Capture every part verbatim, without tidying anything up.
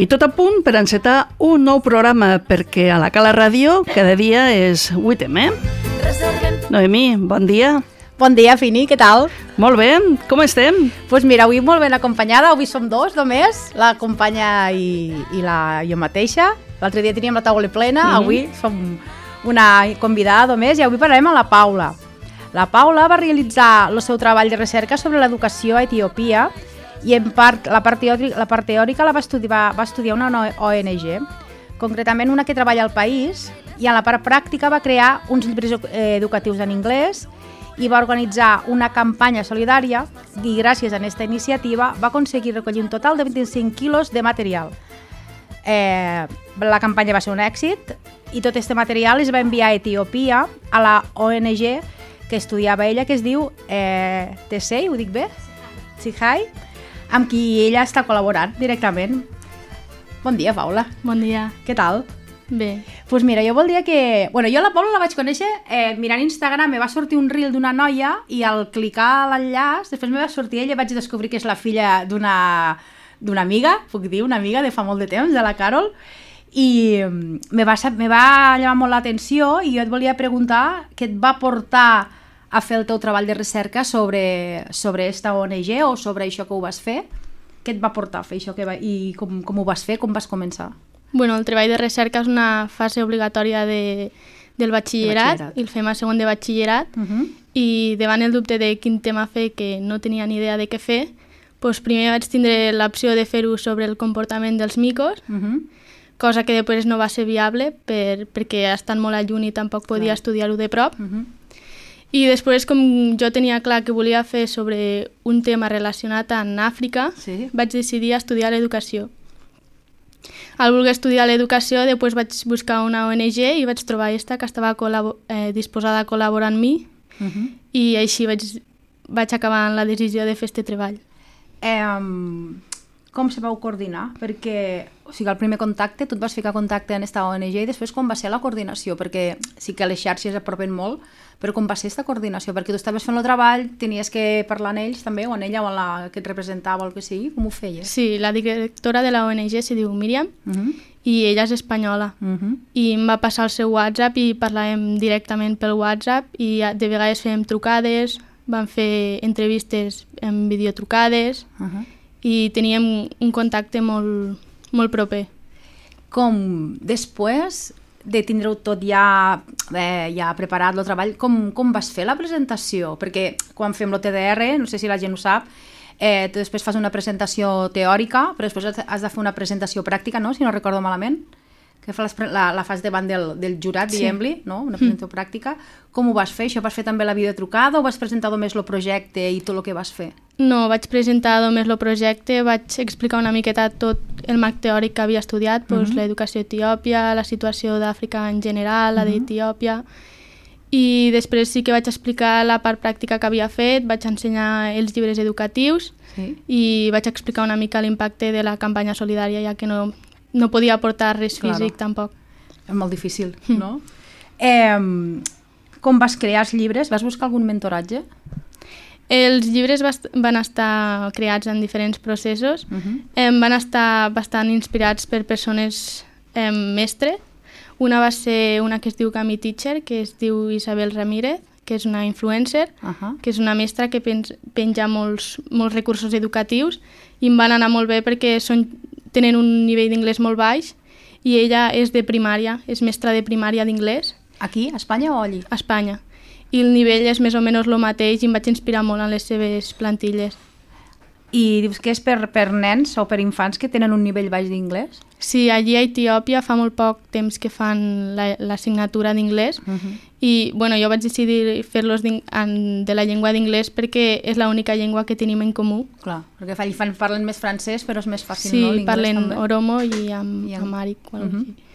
I tot a punt per encetar un nou programa, perquè a la Cala Ràdio cada dia és vuit eme. Noemí, bon dia. Bon dia, Fini, què tal? Molt bé, com estem? Doncs pues mira, avui molt ben acompanyada, avui som dos només, la companya i, i la, jo mateixa. L'altre dia teníem la taula plena, mm-hmm. avui som una convidada només i avui parlarem amb la Paula. La Paula va realitzar el seu treball de recerca sobre l'educació a Etiòpia i en part, la, part teòrica, la part teòrica la va estudiar, va estudiar una O N G, concretament una que treballa al país, i en la part pràctica va crear uns llibres educatius en anglès i va organitzar una campanya solidària i gràcies a aquesta iniciativa va aconseguir recollir un total de vint-i-cinc quilos de material. Eh, la campanya va ser un èxit i tot aquest material es va enviar a Etiòpia a la O N G que estudiava ella, que es diu eh, Tesei, ho dic bé? Tsihai, amb qui ella està col·laborant directament. Bon dia, Paula. Bon dia. Què tal? Bé. Doncs pues mira, jo voldria que... Bueno, jo la Paula la vaig conèixer eh, mirant Instagram, me va sortir un reel d'una noia i al clicar l'enllaç, després me va sortir ella i vaig descobrir que és la filla d'una d'una amiga, puc dir, una amiga de fa molt de temps, de la Carol, i me va, me va llamar molt l'atenció i jo et volia preguntar què et va portar a fer el teu treball de recerca sobre, sobre esta O N G o sobre això que ho vas fer. Què et va portar a fer això que va, i com, com ho vas fer, com vas començar? Bueno, el treball de recerca és una fase obligatòria de, del batxillerat, batxillerat i el fem a segon de batxillerat, uh-huh. i davant el dubte de quin tema fer, que no tenia ni idea de què fer, doncs primer vaig tindre l'opció de fer-ho sobre el comportament dels micos, uh-huh. cosa que després no va ser viable per, perquè estan molt a lluny i tampoc podia Clar. estudiar-ho de prop. Uh-huh. I després, com jo tenia clar que volia fer sobre un tema relacionat amb Àfrica, sí. vaig decidir estudiar l'educació. Al voler estudiar l'educació, després vaig buscar una O N G i vaig trobar aquesta que estava col·labo- eh, disposada a col·laborar amb mi, uh-huh. i així vaig, vaig acabar amb la decisió de fer aquest treball. Eh, com se vau coordinar? Perquè, o sigui, al primer contacte, tu et vas ficar contacte en aquesta O N G i després com va ser la coordinació? Perquè sí que les xarxes apropen molt, però com va ser aquesta coordinació? Perquè tu estaves fent el treball, tenies que parlar amb ells també, o amb ella, o amb la que et representava o el que sigui, com ho feies? Sí, la directora de la O N G se diu Míriam, uh-huh. i ella és espanyola, uh-huh. i em va passar el seu WhatsApp i parlàvem directament pel WhatsApp i de vegades fèiem trucades, vam fer entrevistes en videotrucades, uh-huh. i teníem un contacte molt, molt proper. Com després de tindre-ho tot ja, eh, ja preparat, el treball, com, com vas fer la presentació? Perquè quan fem l'O T D R, no sé si la gent ho sap, eh, tu després fas una presentació teòrica, però després has de fer una presentació pràctica, no? Si no recordo malament, que fa la, la fas davant del, del jurat, sí. diguem-li, no? Una presentació mm. pràctica. Com ho vas fer? Això vas fer també la videotrucada o vas presentar només el projecte i tot el que vas fer? No, vaig presentar només el projecte, vaig explicar una miqueta tot el marc teòric que havia estudiat, doncs, uh-huh. l'educació a Etiòpia, la situació d'Àfrica en general, la uh-huh. d'Etiòpia, i després sí que vaig explicar la part pràctica que havia fet, vaig ensenyar els llibres educatius sí. i vaig explicar una mica l'impacte de la campanya solidària, ja que no, no podia aportar res claro. físic tampoc. És molt difícil, no? eh, com vas crear els llibres? Vas buscar algun mentoratge? Els llibres van estar creats en diferents processos, uh-huh. eh, van estar bastant inspirats per persones eh, mestres. Una va ser una que es diu Kami Teacher, que es diu Isabel Ramírez, que és una influencer, uh-huh. que és una mestra que penja molts, molts recursos educatius i em van anar molt bé perquè són, tenen un nivell d'inglès molt baix i ella és de primària, és mestra de primària d'inglès. Aquí, a Espanya o allí? A Espanya. I el nivell és més o menys el mateix i em vaig inspirar molt en les seves plantilles. I dius que és per, per nens o per infants que tenen un nivell baix d'inglès? Sí, allí a Etiòpia fa molt poc temps que fan l'assignatura d'inglès uh-huh. i bueno, jo vaig decidir fer-los de la llengua d'inglès perquè és l'única llengua que tenim en comú. Clar, perquè fan, parlen més francès però és més fàcil, sí, no? Sí, parlen també. Oromo i amb, I amb... amàric o alguna cosa.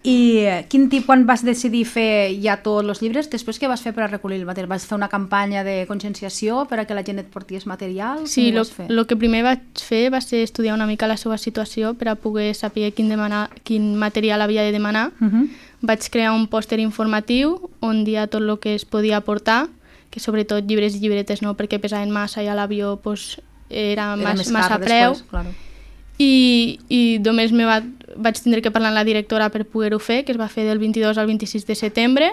I quin tipus, quan vas decidir fer ja tots els llibres, després què vas fer per a recollir el material? Vas fer una campanya de conscienciació per a que la gent et portés material? Sí, el que primer vaig fer va ser estudiar una mica la seva situació per a poder saber quin, demanar, quin material havia de demanar. Uh-huh. Vaig crear un pòster informatiu on dia tot el que es podia aportar, que sobretot llibres i llibretes no, perquè pesaven massa i a l'avió pues, era, era mas, massa preu. Després, claro. i, i només me va, vaig tindre que parlar amb la directora per poder-ho fer, que es va fer del vint-i-dos al vint-i-sis de setembre,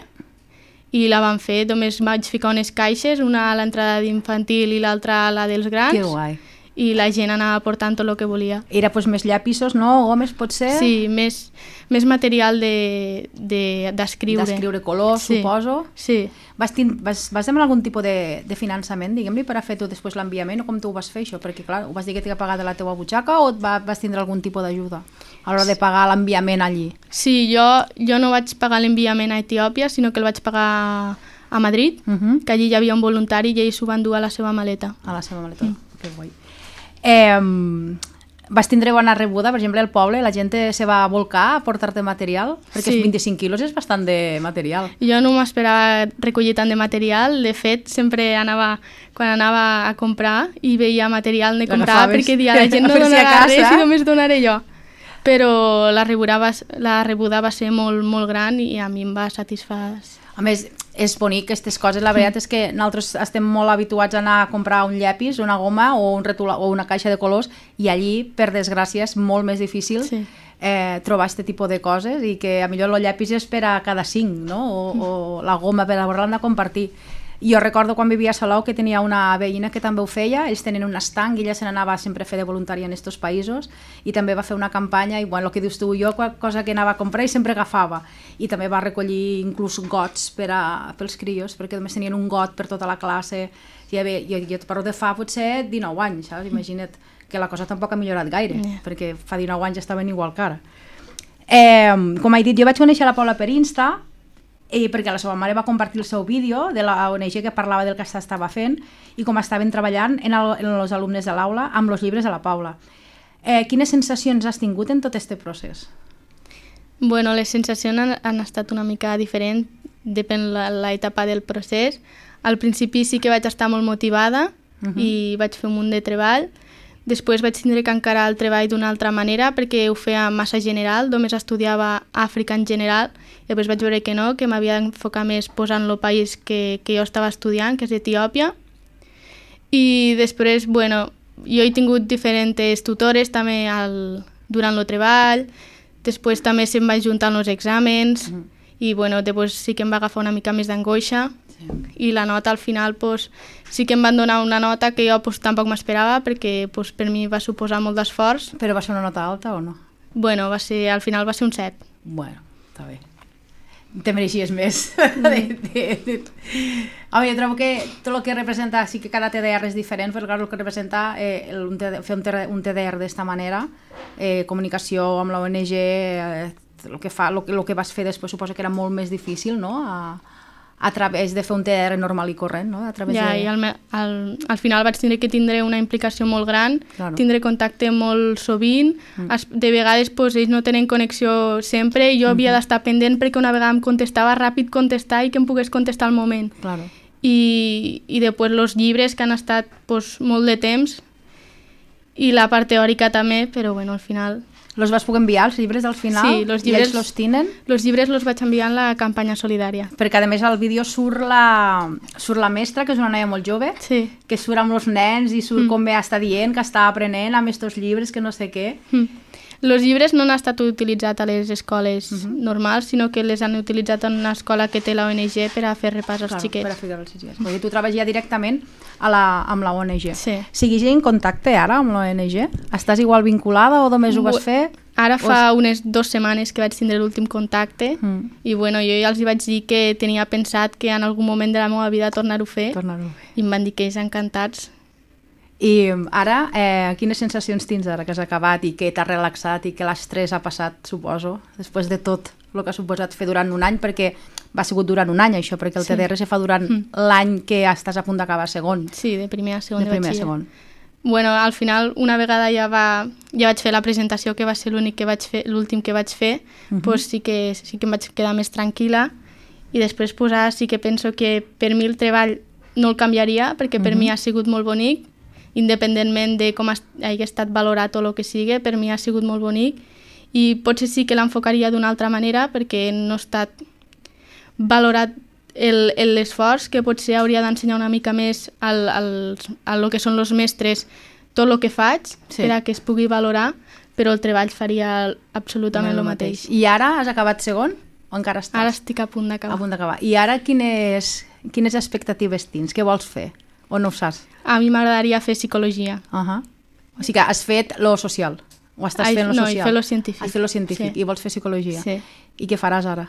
i la van fer, només vaig ficar unes caixes, una a l'entrada d'infantil i l'altra a la dels grans. Que guai. I la gent anava portant tot el que volia. Era pues, més llapisos, no? Gomes, potser? Sí, més, més material d'escriure. De, d'escriure colors, sí. Suposo. Sí. Vas, tin, vas, vas demanar algun tipus de, de finançament, diguem-li, per a fer tu després l'enviament, o com tu ho vas fer, això? Perquè, clar, ho vas dir que t'hi pagar de la teua butxaca o va, vas tindre algun tipus d'ajuda a l'hora de pagar l'enviament allí? Sí, jo, jo no vaig pagar l'enviament a Etiòpia, sinó que el vaig pagar a Madrid, uh -huh. que allí hi havia un voluntari i ells s'ho van dur a la seva maleta. A la seva maleta, mm. Que guai. Eh, vas tindre bona rebuda, per exemple, al poble, la gent se va volcar a portar-te material? Perquè sí. vint-i-cinc quilos és bastant de material. Jo no m'esperava recollir tant de material, de fet, sempre anava, quan anava a comprar i veia material, ne comprava perquè dia la gent no donarà res i només donaré jo. Però la rebuda va, la rebuda va ser molt, molt gran i a mi em va satisfer. A més, és bonic aquestes coses, la veritat és que nosaltres estem molt habituats a anar a comprar un llapis, una goma o, un retula, o una caixa de colors i allí, per desgràcia, és molt més difícil sí. eh, trobar aquest tipus de coses i que a millor el llapis és per a cada cinc, no? o, mm. o la goma per haver-la de compartir. Jo recordo quan vivia a Salou que tenia una veïna que també ho feia, ells tenen un estanc i ella se n'anava sempre a fer de voluntària en aquests països i també va fer una campanya i bueno, el que dius tu, jo cosa que anava a comprar i sempre agafava i també va recollir inclús gots per a, pels crios perquè només tenien un got per tota la classe i a veure, jo, jo et parlo de fa potser dinou anys, saps? Imagina't que la cosa tampoc ha millorat gaire yeah. perquè fa dinou anys estaven igual que ara. Eh, com he dit, jo vaig conèixer la Paula per Insta i perquè la seva mare va compartir el seu vídeo de la O N G que parlava del que s'estava fent i com estaven treballant en, el, en els alumnes de l'aula amb els llibres de la Paula. Eh, quines sensacions has tingut en tot aquest procés? Bueno, les sensacions han, han estat una mica diferents, depèn de l'etapa del procés. Al principi sí que vaig estar molt motivada uh-huh. i vaig fer un munt de treball. Després vaig tindre que encarar el treball d'una altra manera perquè ho feia massa general, només estudiava Àfrica en general i després vaig veure que no, que m'havia d'enfocar més posant el país que, que jo estava estudiant, que és Etiòpia. I després, bueno, jo he tingut diferents tutores també al, durant el treball, després també se'm va juntar els exàmens mm. i bueno, després sí que em va agafar una mica més d'angoixa. I la nota al final pues, sí que em van donar una nota que jo pues, tampoc m'esperava perquè pues, per mi va suposar molt d'esforç. Però va ser una nota alta o no? Bueno, va ser, al final va ser un set. Bueno, està bé. Te mereixies més. Mm. de, de, de... Home, jo trobo que tot el que representa, sí que cada T D R és diferent, però clar, el que representa eh, el, un T D, fer un T D R, un T D R d'esta manera, eh, comunicació amb la O N G, eh, el, que fa, el, el que vas fer després suposo que era molt més difícil, no?, a... a través de fer un T D R normal i corrent, no? A través ja, de... i al, al, al final vaig tindre que tindre una implicació molt gran, claro. Tindre contacte molt sovint, mm. es, de vegades pues, ells no tenen connexió sempre i jo mm-hmm. havia d'estar pendent perquè una vegada em contestava ràpid contestar i que em pogués contestar al moment. Claro. I, i després els llibres que han estat pues, molt de temps i la part teòrica també, però bueno, al final... Los vas poder enviar, els llibres al final? Sí, los llibres, i ells los tenen? Els llibres los vaig enviar en la campanya solidària. Perquè a més al vídeo surt la, surt la mestra, que és una noia molt jove, sí. que surt amb els nens i surt mm. com bé està dient, que està aprenent amb aquests llibres, que no sé què. Mm. Els llibres no han estat utilitzats a les escoles uh-huh. normals, sinó que les han utilitzat en una escola que té la O N G per a fer repàs als claro, xiquets. Per a fer als xiquets. Perquè tu treballes ja directament a la, amb la O N G. Sí. Siguis en contacte ara amb la O N G? Estàs igual vinculada o només ho vas fer? Ara fa és... unes dues setmanes que vaig tindre l'últim contacte mm. i bueno, jo ja els vaig dir que tenia pensat que en algun moment de la meva vida tornar-ho a fer, tornar-ho a fer. I em van dir que ells encantats. I ara, eh, quines sensacions tens ara que has acabat i que t'has relaxat i que l'estrès ha passat, suposo, després de tot el que ha suposat fer durant un any, perquè va sigut durant un any això, perquè el sí. T D R se fa durant mm. l'any que estàs a punt d'acabar segon. Sí, de primer a segon de, de primer batxiller. A segon. Bueno, al final, una vegada ja, va, ja vaig fer la presentació, que va ser l'únic que vaig fer, l'últim que vaig fer, uh-huh. pues sí que, sí que em vaig quedar més tranquil·la i després pues, ara sí que penso que per mi el treball no el canviaria, perquè per uh-huh. mi ha sigut molt bonic, independentment de com hagi estat valorat o el que sigui, per mi ha sigut molt bonic i potser sí que l'enfocaria d'una altra manera perquè no ha estat valorat l'esforç, que potser hauria d'ensenyar una mica més al, al, a lo que són els mestres tot el que faig sí. per a que es pugui valorar, però el treball faria absolutament el mateix. I ara has acabat segon o encara estàs? Ara estic a punt d'acabar. A punt d'acabar. I ara quines, quines expectatives tens? Què vols fer? O no ho saps? A mi m'agradaria fer psicologia. Uh -huh. O sigui que has fet lo social? O estàs Ai, fent lo no, social? No, he fet lo científic. Has fet lo científic sí. I vols fer psicologia? Sí. I què faràs ara?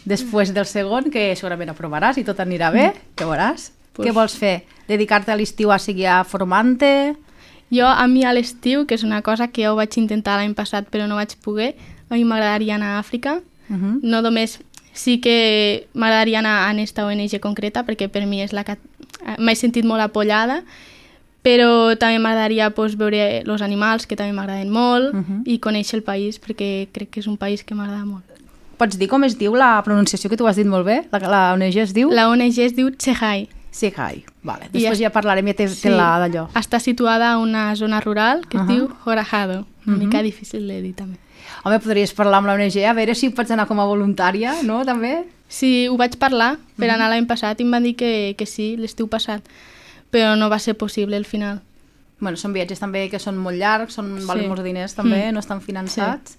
Després del segon, que segurament aprovaràs i tot anirà bé, què veuràs? Pues... Què vols fer? Dedicar-te a l'estiu a seguir formant-te? Jo, a mi a l'estiu, que és una cosa que jo vaig intentar l'any passat però no vaig poder, a mi m'agradaria anar a Àfrica. Uh -huh. No només, sí que m'agradaria anar a aquesta O N G concreta, perquè per mi és la que m'he sentit molt apoyada, però també m'agradaria pues, veure els animals, que també m'agraden molt, uh -huh. i conèixer el país, perquè crec que és un país que m'agrada molt. Pots dir com es diu la pronunciació, que tu has dit molt bé? La, la O N G es diu? La O N G es diu Tsehai. Tsehai, vale. Després I ja parlarem, ja té, sí, té la d'allò. Està situada a una zona rural que uh -huh. es diu Horajado, una uh -huh. mica difícil de dir també. Home, podries parlar amb la O N G, a veure si pots anar com a voluntària, no, també? Sí, ho vaig parlar per anar l'any passat i em van dir que, que sí, l'estiu passat, però no va ser possible al final. Bueno, són viatges també que són molt llargs, són, sí. valen molts diners també, mm. no estan finançats. Sí.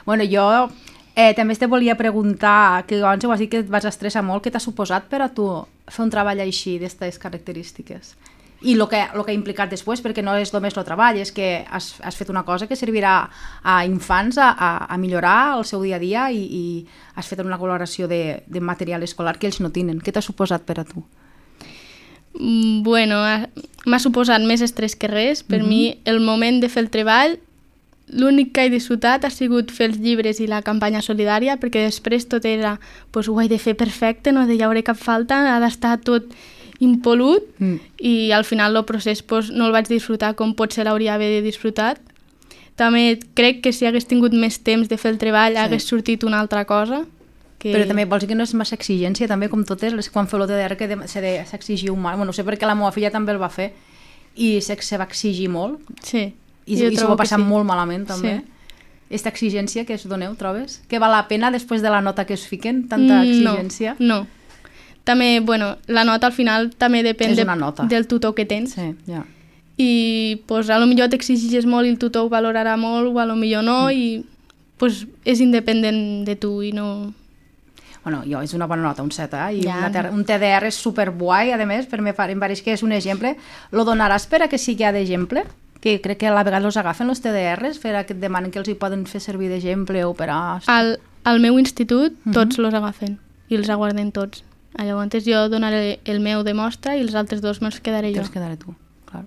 Bueno, jo eh, també te volia preguntar, que abans ho has dit que et vas estressar molt, què t'ha suposat per a tu fer un treball així, d'aquestes característiques? I el que, lo que ha implicat després, perquè no és només el treball, és que has, has fet una cosa que servirà a infants a, a, a millorar el seu dia a dia i, i has fet una col·laboració de, de material escolar que ells no tenen. Què t'ha suposat per a tu? Bueno, m'ha suposat més estrès que res. Per uh-huh. mi, el moment de fer el treball, l'únic que he disfrutat ha sigut fer els llibres i la campanya solidària, perquè després tot era, pues, ho he de fer perfecte, no hi haurà cap falta, ha d'estar tot impolut, mm. i al final el procés pues, no el vaig disfrutar com potser l'hauria d'haver disfrutat. També crec que si hagués tingut més temps de fer el treball sí. hagués sortit una altra cosa. Que... Però també vols dir que no és massa exigència, també com totes, les, quan feu l'O T D R que s'exigia un mal, bueno, no sé perquè la meva filla també el va fer i se, se va exigir molt. Sí. I, i s'ho va passar sí. molt malament també. Aquesta sí. exigència que es doneu, trobes? Que val la pena després de la nota que us fiquen, tanta exigència? No, no. També, bueno, la nota al final també depèn de, del tutor que tens. Sí, ja. I pues, a lo millor t'exigis molt i el tutor ho valorarà molt, o a lo millor no, mm. i pues, és independent de tu i no... Bueno, jo és una bona nota, un set, eh? I ja. una, un T D R és superguai, a més, per mi em pareix que és un exemple. Lo donaràs per a que sigui d'exemple? Que crec que a la vegada els agafen els T D Rs, per a que et demanen que els hi poden fer servir d'exemple o per a... Al, al meu institut tots uh -huh. los agafen i els aguarden tots. Llavors jo donaré el meu de mostra i els altres dos me'ls quedaré jo. Te'ls quedaré tu, clar.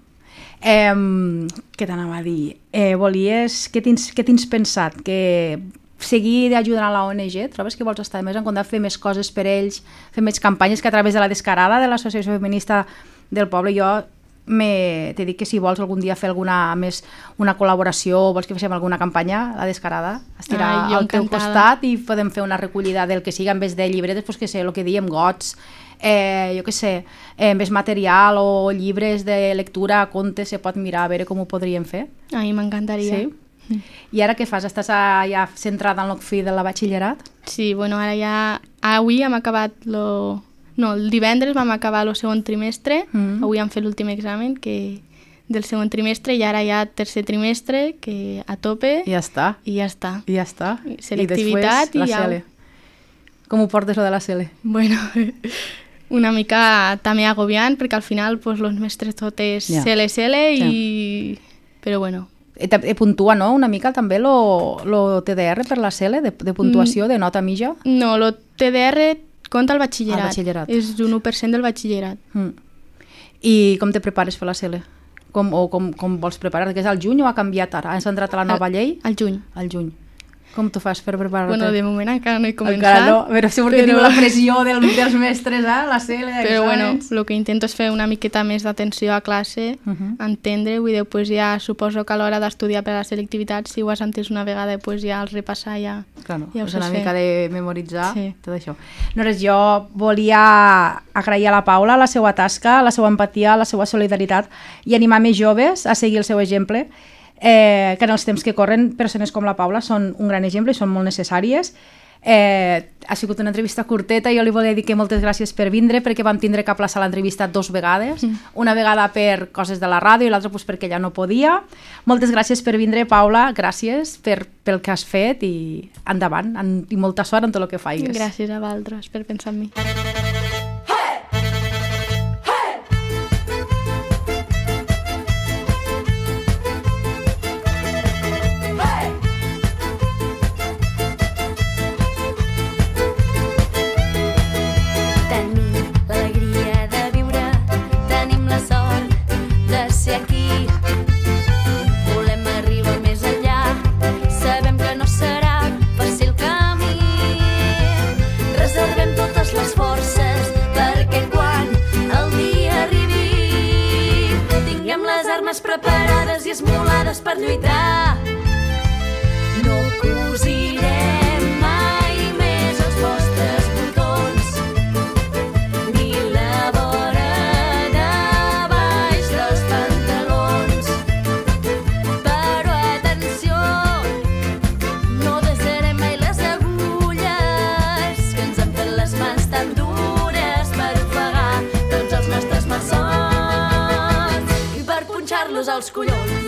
Eh, què t'anava a dir? Eh, volies... Què tens, què tens pensat? Que seguir ajudant a la O N G? Trobes que vols estar més en compte, fer més coses per ells, fer més campanyes, que a través de la Descarada, de l'Associació Feminista del Poble, jo t'he dit que si vols algun dia fer alguna més una col·laboració o vols que fem alguna campanya, la Descarada, estirar Ai, al teu costat i podem fer una recollida del que siga en vez de llibretes, pues que sé, el que diem, gots, eh, jo què sé, eh, més material o llibres de lectura, contes, se pot mirar a veure com ho podríem fer. A mi m'encantaria. Sí? Mm. I ara què fas? Estàs a, ja centrada en el fi de la batxillerat? Sí, bueno, ara ja... Avui hem acabat lo... No, el divendres vam acabar el segon trimestre, mm. avui hem fet l'últim examen que del segon trimestre i ara ja tercer trimestre, que a tope. I ja està. I ja està. I ja està. Selectivitat i, i ja... C L. Com ho portes, lo de la C L? Bueno, una mica també agobiant, perquè al final pues, los mestres tot és ja. C L C L i... Ja. Però bueno... E puntua, no?, una mica també lo, lo T D R per la C L, de, de puntuació, mm. de nota mitja? No, lo T D R compta el batxillerat. El batxillerat. És un u per cent del batxillerat. Mm. I com te prepares per la C L? Com, o com, com vols preparar? Que és al juny o ha canviat ara? Has entrat a la nova al, llei? Al juny. Al juny. Com t'ho fas per preparar-te? Bueno, de moment encara no he començat. Encara no, però segur que però... tinc la pressió del, dels mestres, eh? La C L, però bueno, el que intento és fer una miqueta més d'atenció a classe, uh -huh. entendre, vull dir, pues ja suposo que a l'hora d'estudiar per a la selectivitat, si ho has entès una vegada, pues ja al repassar ja, claro, ja ho és saps una fer. mica de memoritzar, sí. tot això. No res, jo volia agrair a la Paula la seva tasca, la seva empatia, la seva solidaritat i animar més joves a seguir el seu exemple, Eh, que en els temps que corren persones com la Paula són un gran exemple i són molt necessàries. Eh, ha sigut una entrevista curteta, jo li volia dir que moltes gràcies per vindre, perquè vam tindre que aplaçar l'entrevista dos vegades, mm. una vegada per coses de la ràdio i l'altra pues, perquè ella no podia. Moltes gràcies per vindre, Paula, gràcies per, pel que has fet i endavant, en, i molta sort en tot el que faigues. Gràcies a vosaltres per pensar en mi. Preparades i esmolades per lluitar. No cosirem mai més els vostres botons ni la vora de baix dels pantalons. Però atenció, no desarem mai les agulles que ens han fet les mans tan dures per ofegar tots els nostres malsons i per punxar-los als collons.